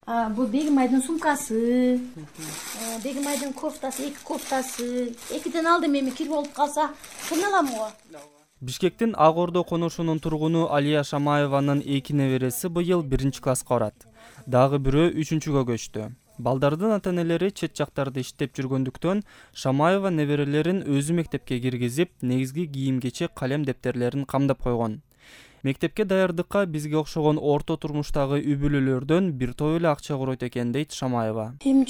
Бул Бегимайдын сумкасы, Бегимайдын кофтасы, 2 кофтасы. 2ден алдым, эми кир болуп калса, кыйын алам го. Бишкектин Ак Ордо конушунун тургуну Алия Шамаеванын 2 небереси быйыл 1-класска барат. Дагы бирөө 3-кө көчтү. Балдардын ата-энелери чет жактарда иштеп жүргөндүктөн Шамаева неберелерин өзү мектепке киргизип, негизги кийим-кечек, калем дептерлерин камдап койгон. Мектепке даярдыкка бизге окшогон орто турмуштагы үй-бүлөлөрдөн бир топ эле акча куройт экен дейт Шамаева. Эми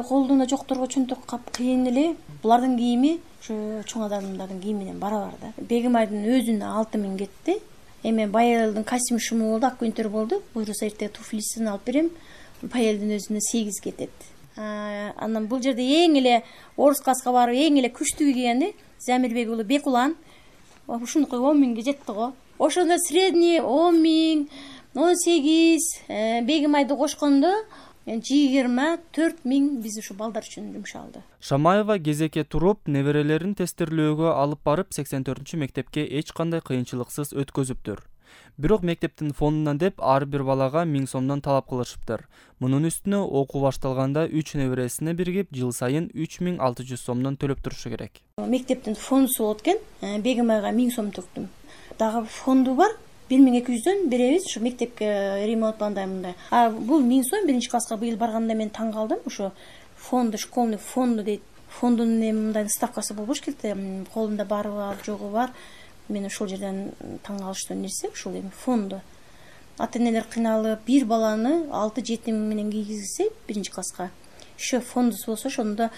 колдуна жокторго чөнтөк кап кыйын эле. Булардын кийими ушу чоң адамдардын кийими менен барабар да. Бегимайдын өзүнө 6000 кетти. Эми Баялдын костюм шуму болду, аккүнтөр болду. Буюрса эртең туфлисин алып берем. Баялдын өзүнө 8 кетет. Анан бул жерде эң эле орус класска барып эң эле күчтүү кийгени Замирбек уулу Бекулан. Ушунукай 10.000ге жетти го. Ошондо средний 10.000, 18, Бегимайды кошкондо 24.000 биз ушу балдар үчүн жумшалды. Шамаева кезекке туруп, неберелерин тестирлөөгө алып барып 84-мектепке эч кандай кыйынчылыксыз өткөзүптүр. Бирок мектептин фондунан деп ар бир балага 1000 сомдон талап кылышыптыр. Мунун үстүнө окуу башталганда 3 небересине биригип жыл сайын 3600 сомдон төлөп турушу керек. Мектептин фондусу болот экен. Бегимайга 1000 сом төктүм. Дагы фонду бар. 1200дөн беребиз, ушу мектепке ремонтландай мындай. Бул 1000 сом 1-класска быйыл барганда мен таң калдым. Ушу фонду, школьный фонду дейт. Фондунун мындай ставкасы болбош керек. Колунда бары бар, жогу бар. Мен ошол жерден таң калыштуу нерсе ушул эми фонду. Ата-энелер кыйналып, бир баланы 6-7 миң менен кийгизсе 1-класска. Еще фондусу болсо ошондо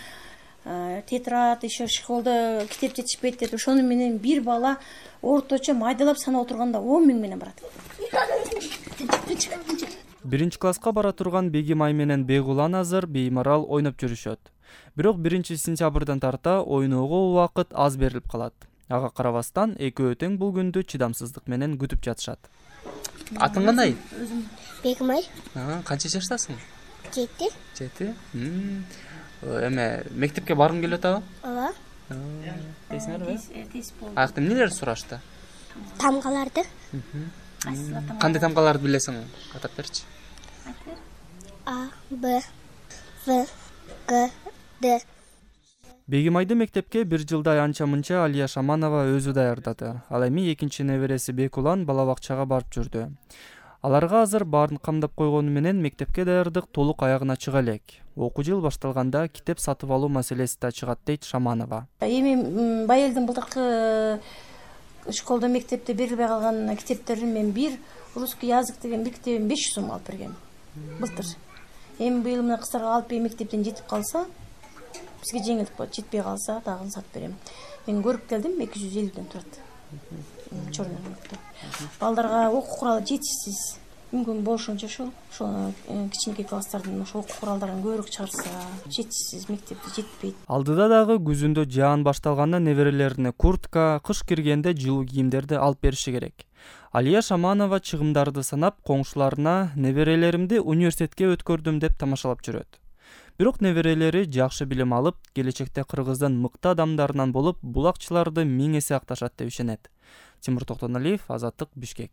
тетрад, еще школда китеп жетишпейт деп, ошону менен бир бала орточо майдалап санап отурганда 10 миң менен барат. 1-класска бара турган Бегимай менен Бегулан азыр беймарал ойноп жүрүшөт. Бирок 1-сентябрдан тарта ойноого убакыт аз берилип калат. Ага карабастан экөө тең бул күндү чыдамсыздык менен күтүп жатышат. Атың кандай? Бегимай. Канча жаштасың? 7. 7? Эме мектепке баргың келип атабы? Ооба. Дейсиңерби? Аякта эмнелерди сурашты? Тамгаларды. Кандай тамгаларды билесиң? Атап берчи. А, Б, В, Г, Д. Бегимайды мектепке бир жылдай анча-мынча Алия Шаманова өзү даярдады. Ал эми 2 небереси Бекулан бала бакчага барып жүрдү. Аларга азыр баарын камдап койгону менен мектепке даярдык толук аягына чыга элек. Окуу жыл башталганда китеп сатып алуу маселеси да чыгат дейт Шаманова. Эми Баялдын былтыркы школда мектепте берилбей калган китептерин мен бир русский язык деген бир китебин 500 сом алып бергем. Былтыр. Эми быйыл мына кыздарга алып берип мектептен жетип калса, бизге жеңилдик болот. Жетпей калса дагы сатып берем. Мен көрүп келдим, 250ден турат. Чорный рынокто. Балдарга окуу куралы жетишсиз. Мүмкүн болушунча ошол кичинекей класстардын ошол окуу куралдарын көбүрөөк чыгарса, жетишсиз, мектепте жетпейт. Алдыда дагы күзүндө жаан башталганда неберелерине куртка, кыш киргенде жылуу кийимдерди алып бериши керек. Алия Шаманова чыгымдарды санап, коңшуларына неберелеримди университетке өткөрдүм деп тамашалап жүрөт. Бирок неберелери жакшы билим алып, келечекте Кыргыздын мыкты адамдарынан болуп, бул акчаларды 1000 эсе акташат деп ишенет. Тимур Токтоналиев, Азаттык, Бишкек.